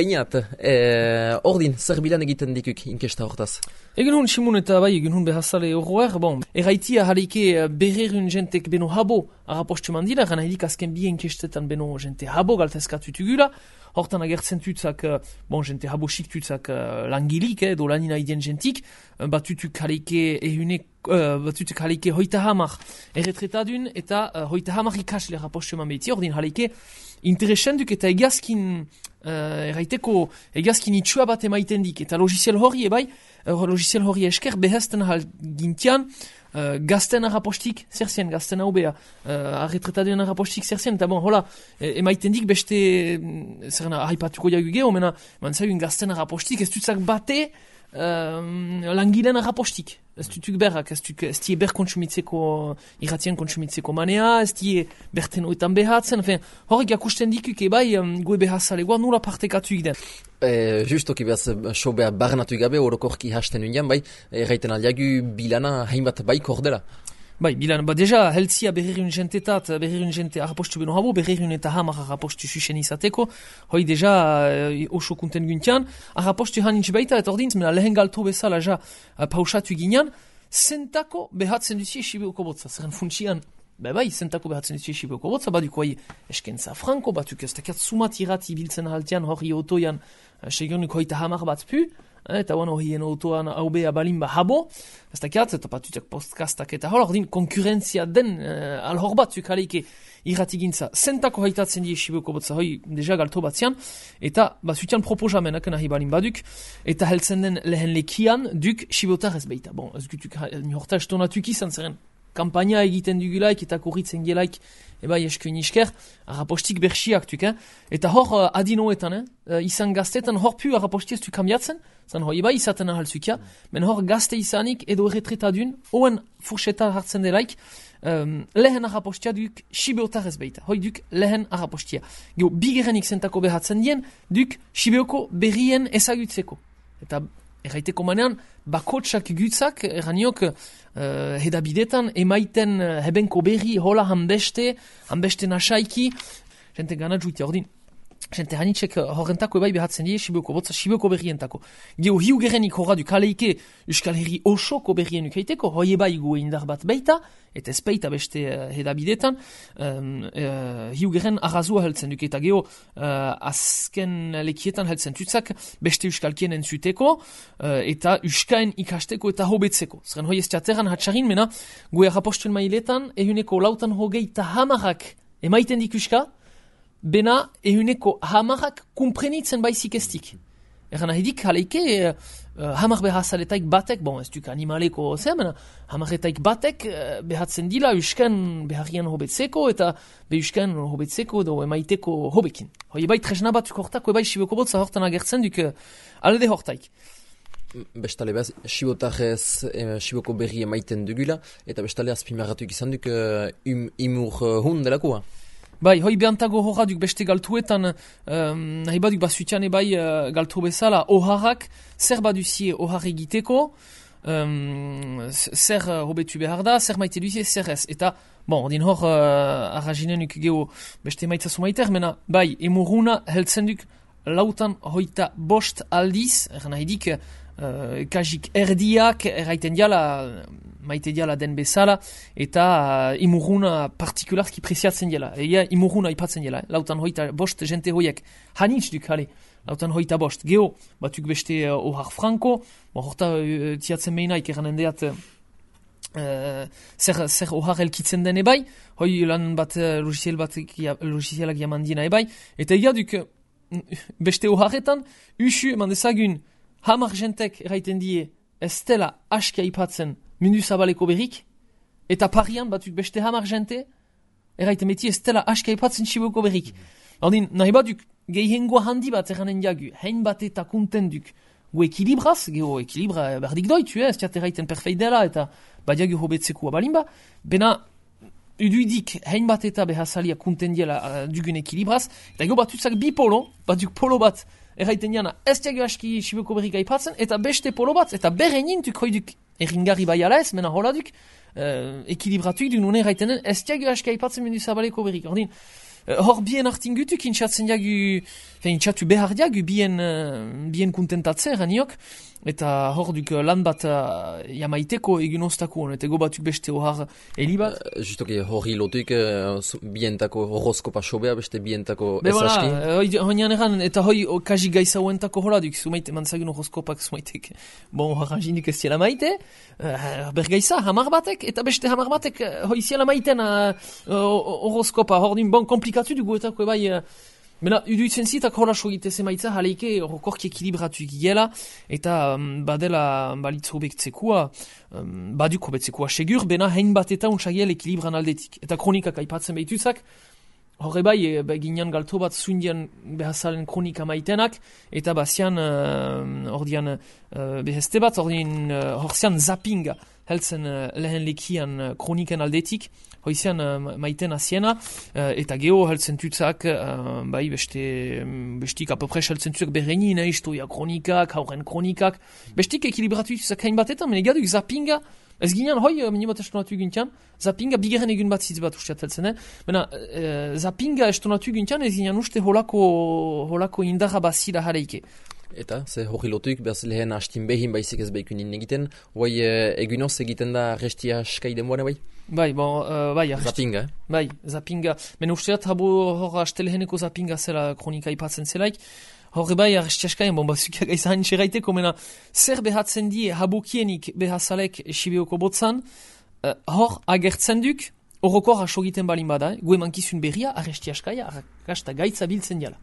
Bainat, ordin, zer bilan egiten dikuk inkesta hortaz? Egen hun Simun eta bai, egen hun behazale horroer, bon, erraitia jaleike berrerun jentek beno habo arrapostu mandila, gana edik azken bi inkestetan beno jente habo galtezkatutugula, hortan agertzen tutzak, bon, jente habo xik tutzak langilik, do lanina idien jentik, batutuk jaleike ehunek, batutuk jaleike hoita hamar erretretadun eta hoita hamar ikasle arrapostu mandbeti, ordin jaleike interesenduk eta egazkin, erraiteko egazkin itxua bat emaiten dik, eta logiciel hori ebai, logiciel hori esker behazten hal gintian, gazten arrapostik zerzien, gazten hau beha, arretretaduen arrapostik zerzien, eta bon, hola, emaiten dik beste, zerna, haipatuko jagu geho, mena, mantzaiun gazten arrapostik, ez dutzak bate, langilen arrapostik. Ez dutuk berrak, ez die ber kontsumitzeko, irratien kontsumitzeko manea, ez die berten oetan behatzen, horrek jakusten dikuk ebai, goe behazalegoa nula partekatu den. Justoki behaz, so behar barnatu gabe, orokorki hasten unian, bai, erraiten aldiagu bilana hainbat bai kordela. Bai, bilan, deja, heltzia berrerun jentetat, berrerun jente arrapostu beno habo, berrerun eta hamar arrapostu susen izateko, hoi deja oso kunten guntian, arrapostu hanintz baita, eta ordintz, mena lehen galto bezala ja pausatu ginean, zentako behatzen duzie Sibioko botza, zerren funtsian, bai, zentako behatzen duzie Sibioko botza, baduko hai eskentza franko, batuk ez dakiat sumat irati biltzen haltean, hori otoian, segionuk hoita hamar bat pu, eta bueno, hien autoan haubea balimba habo, ez dakiat, eta patutak postkastak eta hor, ordin konkurentzia den alhor batzuk aleike irratigintza. Zentako haitatzen die Sibioko botza, hoi deja galto batzian, eta bazutian proposamenak nahi balin baduk, eta heltzen den lehen lekian duk Sibiotar ez beita. Bon, ez gutuk nihorta estonatuk izan zeren, kampaina egiten dugulaik eta korritzen gelaik, ebai eskuin isker, arrapostik berxiak tuk, eta hor adinoetan, izan gaztetan hor pu arraposti ez du kambiatzen, zan hor ebai izaten ahaltzukia, men hor gazte izanik edo erretretadun, oen furxeta hartzen delaik, lehen arrapostia duk Sibiotar ez beita, hoi duk lehen arrapostia. Geo, bigerenik zentako behatzen dien, duk Sibioko berrien ezagutzeko. Eta erraiteko manean, bakotsak gutzak, erraniok, hedabidetan, emaiten hebenko berri, hola hanbeste nasaiki, jente gana juitea ordin. Jente hanitxek horrentako ebai behatzen die Sibioko botza, Sibioko berrientako. Geo hiu gerenik horra du kaleike Euskal Herri osoko berrienuk haiteko, hoi ebai gu indar bat beita, eta ez beita beste hedabidetan, hiu geren arrazua heltzen duk, eta geo azken lekietan heltzen tutzak beste Euskalkien entzuteko, eta Euskaen ikasteko eta hobetzeko. Zeren hoi ez teateran hatxarin mena, gu errapostuen mailetan, ehuneko lautan hogei eta hamarak emaiten dik Euska, bena ehuneko hamarrak kumprenitzen baizik estik. Eran ahidik haleike hamar behazaletaik batek, bon ez duk animaleko zemena, hamaretaik batek behatzen dila Euskan beharrian hobetzeko eta Euskan hobetzeko edo emaiteko hobekin. Hoi ebai tresna batzuk hortako ebai Sibioko botza hortan agertzen duk alde hortaik. Bestale behaz, Sibioko berri emaiten dugula, eta bestale azpimarratuk izan duk imur hun delakoa. Bai, hoi behantago horra duk beste galtuetan, nahi baduk basutian ebai galtu bezala, oharrak, zer baduzie ohar egiteko, zer hobetu behar da, zer maite duzie, zer ez. Eta, bon, din hor, arrazinenuk geho beste maitzazu maiter, mena, bai, emuruna heltzen duk lautan hoita bost aldiz, nahi dik, kajik erdiak, erraiten diala, maite diala den bezala, eta imuruna partikularki preziatzen diala. Ega imuruna ipatzen diala, lautan hoita bost jente hoiek hanitz duk, hale, lautan hoita bost. Geo, batuk beste ohar franko, horta tiatzen meinaik eranen deat zer ohar elkitzen den ebai, hoi lan bat logicielak jaman dina ebai, eta ega duk beste oharretan, usu eman dezagun hamar jentek erraiten die ez dela askia ipatzen mundu zabaleko berrik, eta parian batuk beste hamar jente, erraiten beti ez dela askia ipatzen Sibioko berrik. Ordin, nahi baduk gehiengoa handi bat erranen jagu, hein bat eta kunten duk, gu ekilibraz, geho ekilibra berdik doitu, ez tiat erraiten perfeit dela, eta badiagu hobetzeko abalimba, bena uduidik hein bat eta behazalia kunten diela dugun ekilibraz, eta gero batutzak bi polo, batuk polo bat, erraiten jana, ez diago aski Sibioko berrik aipatzen, eta beste polo bat, eta berenin duk hoiduk erringari bai ala ez, mena hola duk, ekilibratuk duk nune erraiten den, ez diago aski aipatzen mundu zabaleko berrik. Ordin, hor bien artin gutuk intxatzen jagu, intxatu behar jagu bien kontentatzen raniok, eta hor duk lan bat jamaiteko egin oztako, eta ego batuk beste ohar helibat. Justoki hori lotuik bientako horoskopa sobea, beste bientako esaski. Hoian eran, eta hoi kaji gaiza huentako hola duk, zumaite mantzagin horoskopak zumaitek. Bon, haranjinik ez ziela maite, bergaiza, hamar batek, eta beste hamar batek hoi ziela maiten horoskopa, hor din bon komplikatu dugu etako bai. Bena, uduitzen zitak hola sogite zemaitza, haleike horokorki ekilibratu gila, eta badela balitzo betzekua, baduko betzekua segur, bena hein bat eta untsagiel ekilibran aldetik. Eta kronikak aipatzen behituzak, horre bai, ginean galto bat zuindian behazalen kronika maitenak, eta bazian, ordian beheste bat, ordian horzian zappinga, heltzen lehen lekian kroniken aldetik, hoizian maiten aziena, eta geho heltzen tutzak, bai bestik apopres heltzen tutzak berrenin, historia kronikak, hauren kronikak, bestik ekilibratu tutzak hain batetan, men egaduk zappinga, ez ginean hoi, minibat estonatu gintian, zappinga bigeren egun bat zitz bat usteat heltzen, Bena, zappinga estonatu gintian, ez ginean uste holako indarra bazira hareike. Eta, ze hori lotuik, behaz lehen hastin behin baizik ez behikunin egiten, guai egunoz egiten da restia skai denboan bai? Bai, bon, bai, Zappinga, Bai, zappinga. Men usteat habo hor asteleheneko zappinga zela kronika ipatzen zelaik, horre bai, arrestiaskaien, bon, bazukia gaisa hain txeraiteko, mena, zer behatzen die habokienik behazalek sibeoko botzan, hor agertzen duk, horrokor asogiten balin bada, gue mankizun berria, arrestiaskaia, arrakasta gaitza biltzen diala.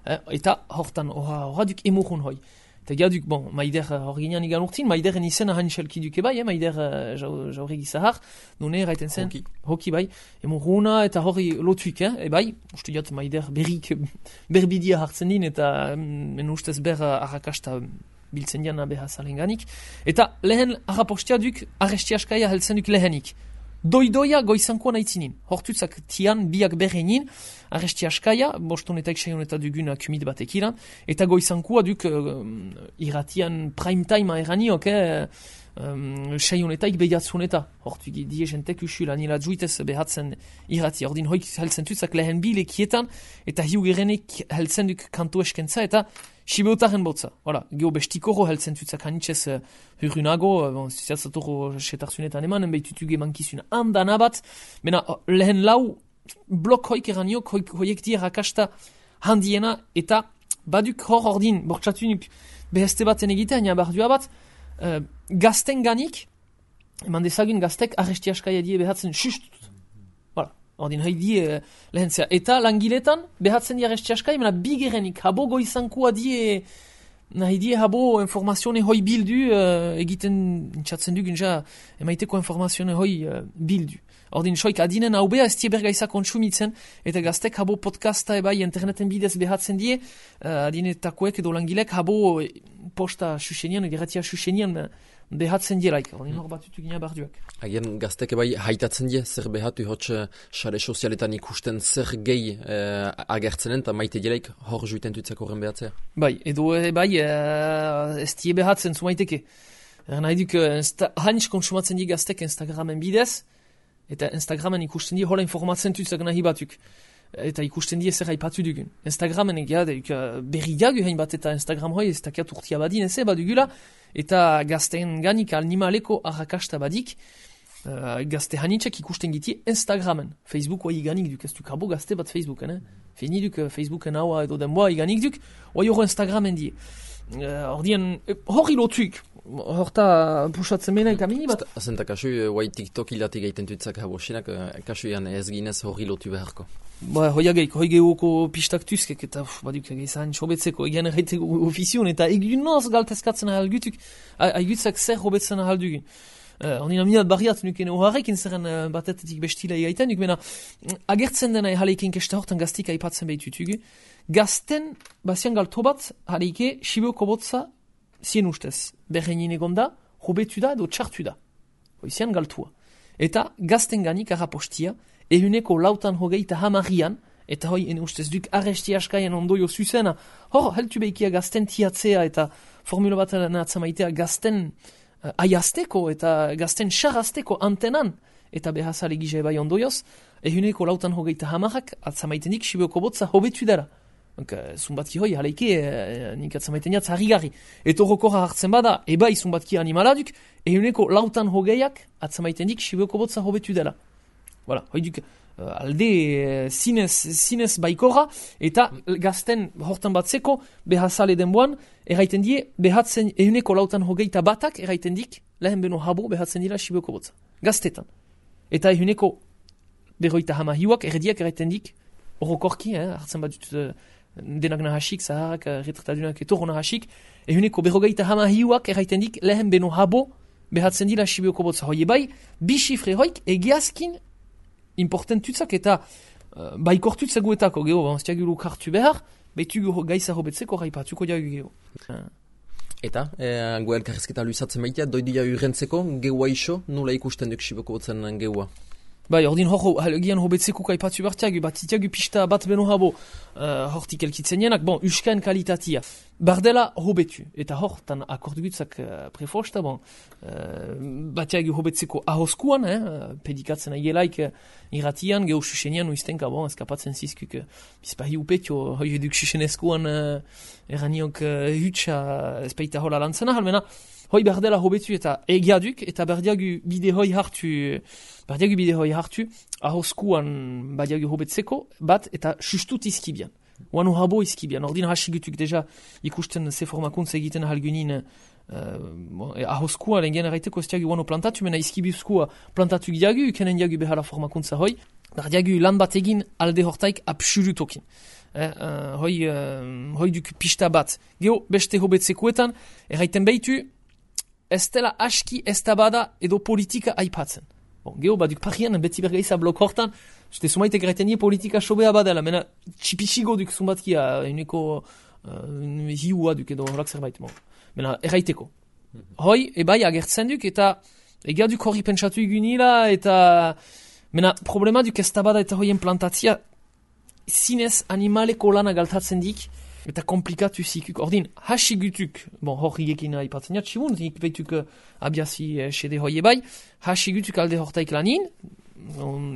Eta hortan horra duk emurun hoi. Eta gaduk, bon, maider hor ginean igan urtin, maideren izena hanxelki duke bai, maider jaurri gizahar, nune eraiten zen, hoki bai, emuruna eta horri lotuik, bai, uste diat maider berrik berbidia hartzen din, eta men ustez ber arrakasta biltzen diana behazalen ganik. Eta lehen arrapostia duk, arrestiaskaia heltzen duk lehenik. Doidoia goizankoan aitzinin. Hortutzak tian biak berrenin, arrestiaskaia, bostonetaik saioneta dugun kumit batek iran, eta goizankoa duk iratian prime time eraniok, saionetaik behiatzuneta. Hortu die jentek usul anila juitez behatzen irati. Ordin hoik heltzen tutzak lehen bilekietan, eta hiugerenek heltzen duk kanto eskentza, eta Sibeotaren botza. Voilà, geho bestikoro heltzen tutzak hanitzez hurrunago, ziatzatoro setarzunetan emanen, behitutuge mankizun handana bat, mena lehen lau blok hoik eraniok, hoiek die rakasta handiena, eta baduk hor ordin, bortxatunuk beheste baten egitea, nia bardua bat, gazten ganik, eman dezagun gaztek arrestiaskaia die behatzen sustut. Voilà. Ordin haidi lehentzea. Eta langiletan, behatzen die arrestiaskai, mena bigerenik, habo goizankua die, nahi die habo informazione hoi bildu, egiten intxatzen dugun ja, emaiteko informazione hoi bildu. Ordin soik adinen hau beha ez tie bergaisa kontsumitzen, eta gaztek habo podcasta ebai interneten bidez behatzen die, adinetakoek edo langilek habo posta susenian, geratia susenian, behatzen dielaik, ordin hor batutu gina barduak. Agian gaztek bai haitatzen die, zer behatu hotz sare sozialetan ikusten zer gehi agertzenen, eta maite dielaik hor juiten tutzak horren behatzea. Bai, edo bai, ez die behatzen zumaiteke. Nahi duk, hanitz konsumatzen die gaztek Instagramen bidez, eta Instagramen ikusten die hola informatzen tutzak nahi batuk. Eta ikusten die zer haipatu dugun. Instagramen egia, berri jagu hain bat eta Instagram hoi ez takiat urtia badin eze badugula, eta gazten ganik animaleko arrakasta badik, gazte hanitzak ikusten giti Instagramen. Facebook hoi iganik duk, ez duk habo gazte bat Facebooken, Fini duk Facebooken haua edo denboa iganik duk, hoi hori Instagramen die. Ordien, hori lotuik, horta pusatzen mena eta mini bat. Azenta kasu, hoi TikTok hilati gaiten tutzak habo sinak, kasu ean ez ginez hori lotu beharko. Ba, hoiagaik, hoi gehuko pistak tuzkek, eta baduk egizan sobetzeko, egan erraiteko ofizion, eta egunoz galtezkatzen ahalgutuk, aigutzak zer hobetzen ahaldugun. Ondina minat barriat nuken oharrekin zerren batetetik bestila egaiten, nuk mena agertzen dena haleiken kesta hortan gaztik aipatzen behitutugu. Gazten, bazian galto bat, haleike, Sibeoko botza, zien ustez, berrenin egonda, hobetu da edo txartu da. Hoizian galtua. Eta gazten ganik arrapostia, ehuneko lautan hogeita hamarian, eta hoi ene ustez duk arrestiaskaien ondoio zuzena, hor, heltu behikia gazten tiatzea eta formula bat nahatzamaitea gazten aiazteko eta gazten xarrazteko antenan, eta behazale gisa ebai ondoioz, ehuneko 95 atzamaiten dik Sibioko botza hobetu dara. Zumbatki hoi, haleike, nik atzamaiten jatz harrigarri. Eta horrokorra hartzen bada, ebai zumbatki animaladuk, ehuneko 95 atzamaiten dik Sibioko botza hobetu dela. Voilà, hoi duk, alde zinez baikorra, eta gazten hortan batzeko, behazale denboan, erraiten die, behatzen ehuneko 91 erraiten dik, lehen beno habo behatzen dira Sibioko botza. Gaztetan. Eta ehuneko 50 hiuak erdiak erraiten dik, horrokorki, hartzen bat dut denak nahasik, zaharrak, retratadunak etorro nahasik, ehuneko 50 hiuak erraiten dik, lehen beno habo behatzen dira Sibioko botza. Hoi bai, bi xifre hoik egiazkin importantutzak eta baikortutzak guetako, geho, banztiagilu kartu behar, betugu gaiza hobetzeko raipatuko diagu geho. Eta, gu elkarrezketa luizatzen maitea, doidia urrentzeko, geua iso, nula ikusten duk Sibioko botzen geua? Bai, ordin gian hobetzeko kaipatu bartiagu, bat itiagu pista bat beno habo hortik elkitzen jenak, bon, uskaen kalitatia. Bardela hobetu, eta hortan akordugutzak prefosta, bon, batiagu hobetzeko ahoskuan, pedikatzen aielaik irratian, geho susenian uiztenka, bon, eskapatzen zizkuk, bizpahi upetio, hoi eduk susenezkoan eraniok hutsa espaita hola lantzena, halmena, hoi berdela hobetu eta egiaduk, eta berdiagu bide hoi hartu, ahoskuan badiagu hobetzeko, bat eta sustut izkibian. Oanu habo izkibian. Ordin hasigutuk deja ikusten ze formakuntza egiten ahalgunin ahoskua lehen erraiteko ez diagu oanu plantatu, mena izkibuzkoa plantatu diagu, ukenen diagu behala formakuntza hoi, berdiagu lan bat egin alde hortaik absolutokin. Hoi duk pista bat. Geho beste hobetzekuetan, erraiten behitu, ez dela aski ez tabada edo politika aipatzen. Bon, geho, baduk parian, beti bergaiza blok hortan, zute sumaitek erraiten politika sobea badela, mena txipisigo duk zumbatkia, uneko hiua duk edo horak zerbait. Bon. Mena erraiteko. Hoi, ebai agertzen duk, eta egia duk horri pentsatu igunila, eta mena problema duk ez tabada eta hoien plantatzia, zinez animaleko lana galtatzen dik, eta komplikatu zikuk. Ordin, hasigutuk, bon, hori ekin aipatzen jat, sibun, ikpeituk abiazi sede hoi ebai, hasigutuk alde hortaik lanin,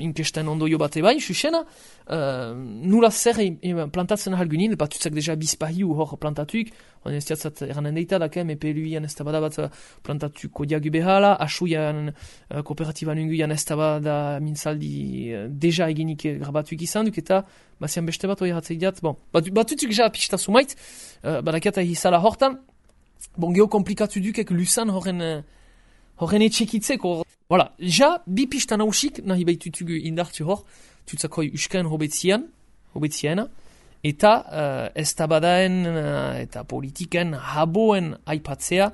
inkesten ondoio bat ebai, susena, nula zer plantatzen ahalgunin, batutzak deja bizpahiu hor plantatuik, on ez diatzat eranen deita, dakem, epeluian ez tabada bat plantatuko diagu behala, asuian kooperatiban unguian ez tabada mintzaldi deja eginik grabatuik izan duk, eta bazian beste bat hori hatzei diat, bon, batutzuk ja pista sumait, badakiata hizala hortan, bon, geho komplikatu dukek lusan horren etxekitzeko. Voilà, ja, bi pista nausik, nahi behitutugu indartu hor, tutzakoi uskaen hobetziena, eta ez tabadaen eta politiken haboen aipatzea,